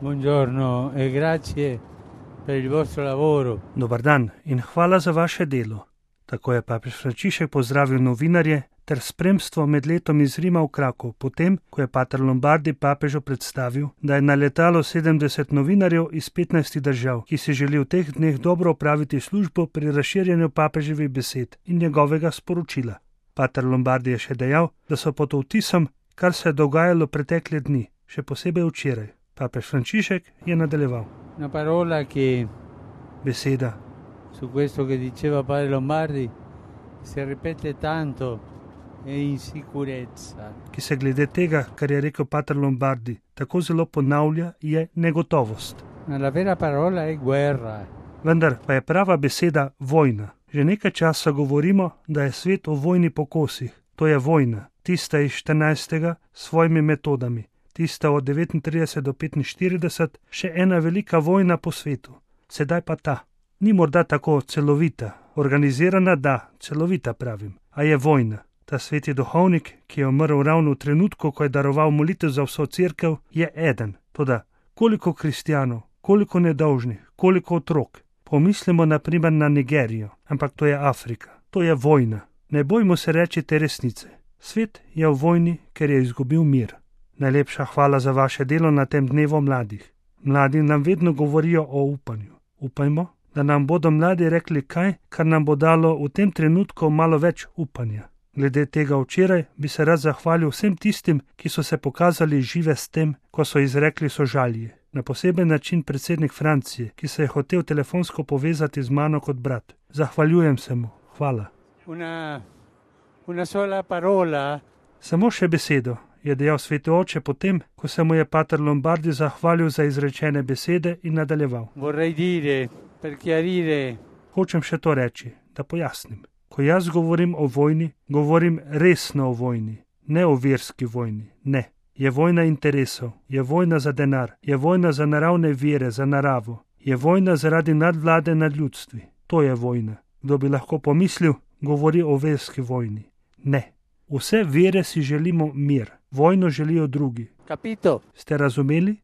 Buongiorno e grazie per il vostro lavoro. Dobar dan in hvala za vaše delo. Tako je papež Frančišek pozdravil novinarje ter spremstvo med letom iz Rima v Krakov, potem, ko je pater Lombardi papežu predstavil, da je na letalo 70 novinarjev iz 15 držav, ki si želi v teh dneh dobro opraviti službo pri razširjanju papeževih besed in njegovega sporočila. Pater Lombardi je še dejal, da so pod vtisom, kar se je dogajalo pretekle dni, še posebej včeraj. Papež Frančišek je nadaljeval. Una parola che Beseda, su questo che diceva padre Lombardi si ripete tanto è insicurezza. ki se glede tega, kar je rekel pater Lombardi, tako zelo ponavlja, je negotovost. Ma la vera parola è guerra. Vendar pa je prava beseda vojna. Že nekaj časa govorimo, da je svet v vojni po kosih. To je vojna, tista iz 14. s svojimi metodami, tista od 39 do 45, še ena velika vojna po svetu. Sedaj pa ta. Ni morda tako celovita, organizirana, da, celovita pravim, a je vojna. Ta sveti duhovnik, ki je umrl ravno v trenutku, ko je daroval molitev za vso cerkev, je eden. Toda koliko kristjanov, koliko nedolžnih, koliko otrok. Pomislimo naprimer na Nigerijo, ampak to je Afrika. To je vojna. Ne bojmo se reči te resnice. Svet je v vojni, ker je izgubil mir. Najlepša hvala za vaše delo na tem dnevu mladih. Mladi nam vedno govorijo o upanju. Upajmo, da nam bodo mladi rekli kaj, kar nam bo dalo v tem trenutku malo več upanja. Glede tega včeraj bi se rad zahvalil vsem tistim, ki so se pokazali žive s tem, ko so izrekli sožalje. Na poseben način predsednik Francije, ki se je hotel telefonsko povezati z mano kot brat. Zahvaljujem se mu. Hvala. Una sola parola. Samo še besedo, je dejal sveti oče potem, ko se mu je pater Lombardi zahvalil za izrečene besede in nadaljeval. Vorrei dire, per chiarire. Hočem še to reči, da pojasnim. Ko jaz govorim o vojni, govorim resno o vojni, ne o verski vojni, ne. Je vojna interesov, je vojna za denar, je vojna za naravne vire, za naravo, je vojna zaradi nadvlade nad ljudstvi. To je vojna. Kdo bi lahko pomislil, govori o verski vojni. Ne. Vse vere si želimo mir, vojno želijo drugi. Capito? Ste razumeli?